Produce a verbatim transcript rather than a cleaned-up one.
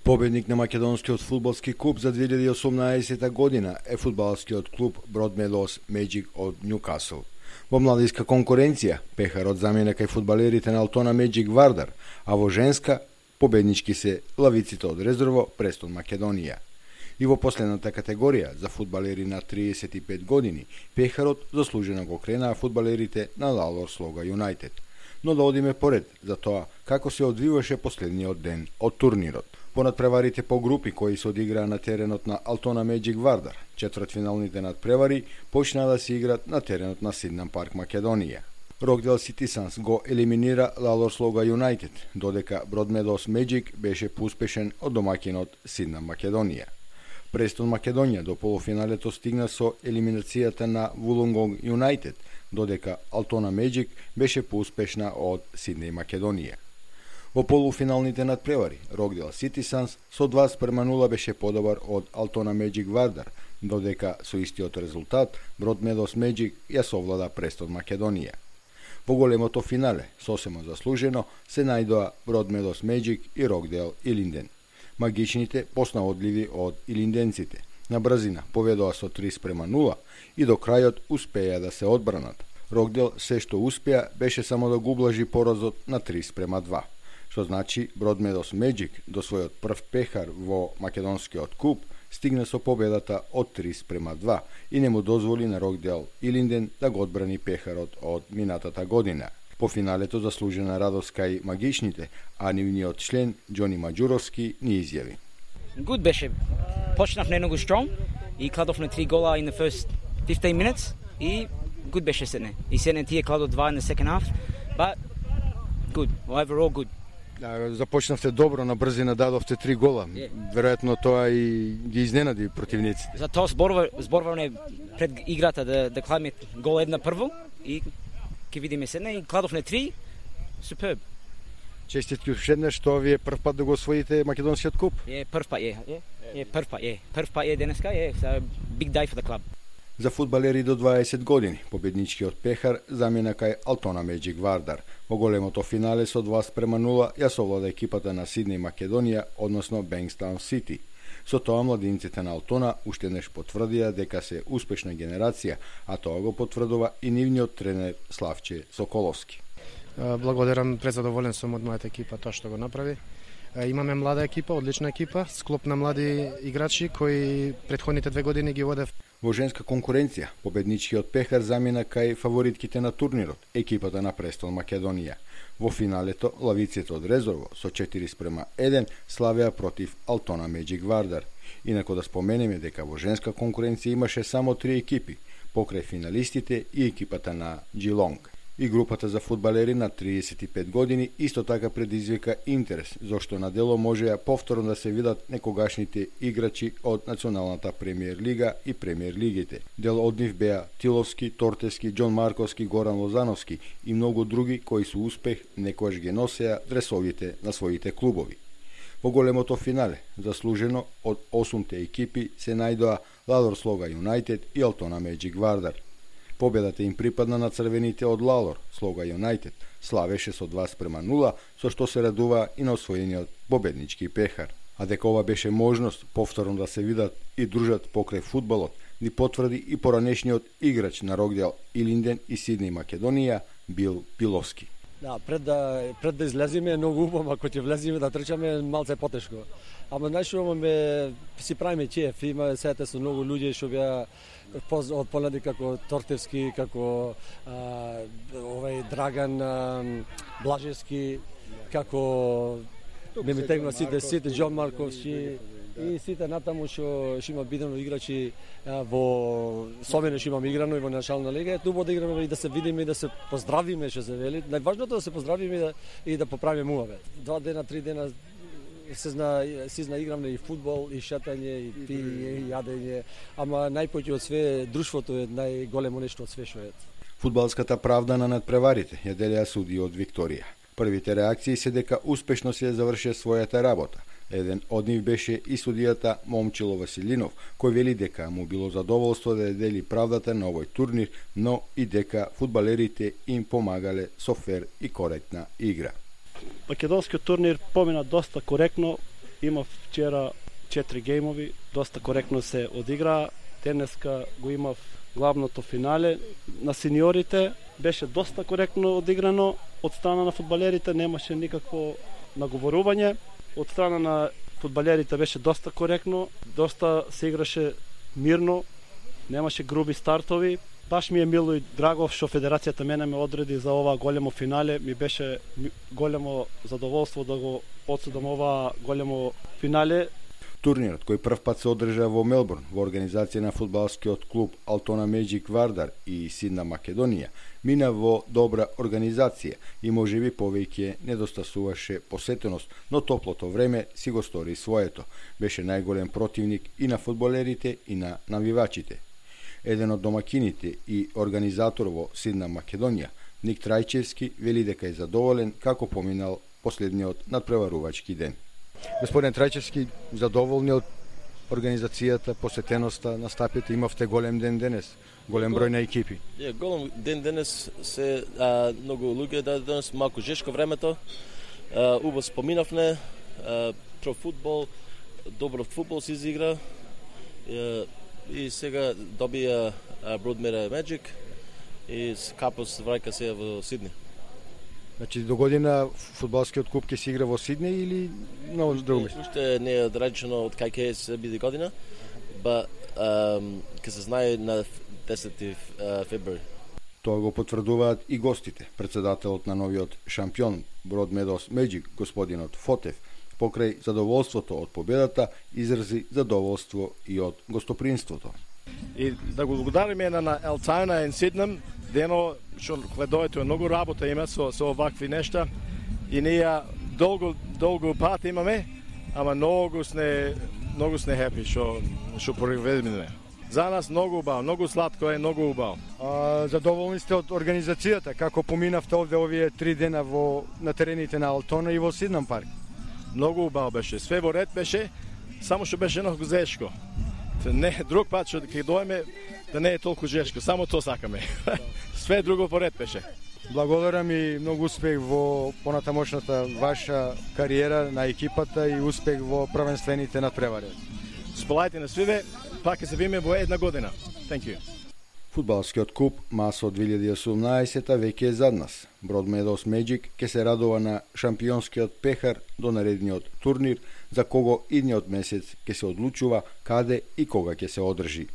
Победник на македонскиот фудбалски куп за две илјади и осумнаесета година е фудбалскиот клуб Broadmeadows Magic од Њукасл. Во младинска конкуренција, пехарот замена кај фудбалерите на Алтона Magic Вардар, а во женска, победнички се лавиците од резерво Престон Македонија. И во последната категорија за фудбалери на триесет и пет години, пехарот заслужено го кренаа фудбалерите на Лалор Слога Юнайтед. Но да одиме поред за тоа како се одвиваше последниот ден од турнирот. Понадпреварите по групи кои се одиграа на теренот на Алтона Magic Вардар, четвртфиналните надпревари почнаа да се играат на теренот на Сиднам Парк Македонија. Рокдел Ситисанс го елиминира Лалор Слога Юнайтед, додека Broadmeadows Magic беше поуспешен од домаќинот Сиднам Македонија. Престон Македонија до полуфиналето стигна со елиминацијата на Вулонгонг Юнайтед, додека Алтона Magic беше поуспешна од Сиднеј Македонија. Во полуфиналните надпревари, Рокдел Ситисанс со два спрема нула беше подобар од Алтона Magic Вардар, додека со истиот резултат Broadmeadows Magic ја совлада Престон Македонија. Во големото финале, сосема заслужено, се најдоа Broadmeadows Magic и Рокдел Илинден. Магичните поснаодливи од илинденците. На брзина поведоа со три спрема нула и до крајот успеа да се одбранат. Рокдел се што успеа беше само да го ублажи поразот на три спрема два, што значи Broadmeadows Magic до својот прв пехар во македонскиот куп стигна со победата од три спрема два и не му дозволи на Рокдел Илинден да го одбрани пехарот од минатата година. По финалето заслужена радост кај магичните, а нивниот член Џони Маџуровски ни изјави. Good беше. Почнав многу strong и кладовме три гола in the first fifteen minutes и good беше седне. И седне тие кладо два in the second half, but good. Overall good. Да, започнавте добро, на брзина дадовте три гола. Yeah. Веројатно тоа и ги изненади противниците. За тоа зборува зборуваме пред играта да да кладеме гол една прво и ќе видиме седне и кладовме три. Суперб. Честитки уште еднаш што вие прв пат да го освоите македонскиот куп. Е, прв пат е. Е, прв пат е. Прв пат е денеска е. Big day for the club. За фудбалери до дваесет години, победничкиот пехар замена кај Алтона Magic Вардар. Во големото финале со два спрема нула ја совлада екипата на Сиднеј Македонија, односно Bankstown City. Со тоа младинците на Алтона уште еднаш потврдија дека се успешна генерација, а тоа го потврдува и нивниот тренер Славче Соколовски. Благодарам, презадоволен сум од мојата екипа тоа што го направи. Имаме млада екипа, одлична екипа, склоп на млади играчи кои претходните две години ги водев. Во женска конкуренција, победничкиот пехар замина кај фаворитките на турнирот, екипата на Престон Македонија. Во финалето, лавиците од резерво со четири спрема еден славеа против Алтона Magic Вардар. Инако да споменеме дека во женска конкуренција имаше само три екипи, покрај финалистите и екипата на Джилонг. И групата за фудбалери на триесет и пет години исто така предизвика интерес, зашто на дело можеа повторно да се видат некогашните играчи од Националната премиер лига и премиер лигите. Дел од нив беа Тиловски, Тортевски, Џон Марковски, Горан Лозановски и многу други кои со успех некојаш ги носеа дресовите на своите клубови. Во големото финале, заслужено од осумте екипи се најдоа Лалор Слога Юнайтед и Алтона Magic Вардар. Победата им припадна на црвените од Лалор Слога Юнайтед, славеше со два спрема нула, со што се радува и на освоениот победнички пехар. А дека ова беше можност повторно да се видат и дружат покрај фудбалот, ни потврди и поранешниот играч на Рокдел Илинден и Сиднеј Македонија Бил Пиловски. Да, пред да пред да излеземе е многу убаво, ако ќе влеземе да трчаме малце потешко. Ама знаеш, имаме си правиме чеф, има сете со многу луѓе што беа од понеди како Тортевски, како а, овај Драган а, Блажевски, како не ми тегна сите сите Џон Марковски и сите натаму што што има бидено играчи а, во Сомене што имаме играно и во Национална лига, тубо да играме и да се видиме и да се поздравиме, што се вели. Најважното е да се поздравиме и да и да поправиме муавет. Два дена, три дена се зна, се зна играме и фудбал, и шетање, и пиење, и јадење, ама најпоќе од све друштвото е најголемо нешто од све што е. Фудбалската правда на надпреварите ја делеа суди од Викторија. Првите реакции се дека успешно се заврши својата работа. Еден од нив беше и судијата Момчило Василинов, кој вели дека му било задоволство да дели правдата на овој турнир, но и дека фудбалерите им помагале со фер и коректна игра. Македонскиот турнир помина доста коректно, имав вчера четири геймови, доста коректно се одигра. Денеска го имав главното финале на сениорите, беше доста коректно одиграно од страна на фудбалерите, немаше никакво наговорување. Од страна на фудбалерите беше доста коректно, доста се играше мирно, немаше груби стартови. Баш ми е мило и драго што федерацијата мене ме одреди за ова големо финале. Ми беше големо задоволство да го одсудам ова големо финале. Турнирот, кој прв пат се одржа во Мелбурн во организација на фудбалскиот клуб Алтона Меджик Вардар и Сидна Македонија, мина во добра организација и можеби повеќе недостасуваше посетеност, но топлото време си го стори своето. Беше најголем противник и на фудбалерите и на навивачите. Еден од домакините и организатор во Сидна Македонија, Ник Трајчевски, вели дека е задоволен како поминал последниот надпреварувачки ден. Господин Трајчевски, задоволни од организацијата, посетеноста, настапите, имавте голем ден денес, голем број на екипи. Е, голем ден денес се а, многу луѓе да денес малку жешко времето. А, убаво споминавме, про фудбал, добро фудбал се изигра. А, и сега добија Broadmeadow Magic и Капос враќа се во Сидни. Значи до година фудбалскиот куп ќе се игра во Сидни или на друго место? Уште не е одречено од кај ќе се биде година, ба ќе се знае на десети февруари. Тоа го потврдуваат и гостите. Председателот на новиот шампион Broadmeadow Magic, господинот Фотев, покрај задоволството од победата, изрази задоволство и од гостопринството. И да го благодариме на Алтона и Сиднем, дено што гледојте многу работа има со со овакви нешта и ние долго долго пат имаме, ама многу сне многу сне хепи што што проведеме. За нас многу убаво, многу сладко е, многу убаво. А, задоволни сте од организацијата, како поминавте овде овие три дена во на терените на Алтона и во Сиднам парк? Многу убаво беше, све во ред беше, само што беше многу зешко. Не, друг пат што ќе дојме да не е толку жешко, само тоа сакаме. Све друго по ред беше. Благодарам и многу успех во понатамошната ваша кариера на екипата и успех во првенствените надпревари. Сполајте на свиве, пак ќе се видиме во една година. Thank you. Фудбалскиот куп Масо две илјади и осумнаесета веќе е зад нас. Broadmeadow Magic ќе се радува на шампионскиот пехар до наредниот турнир, за кого идниот месец ќе се одлучува каде и кога ќе се одржи.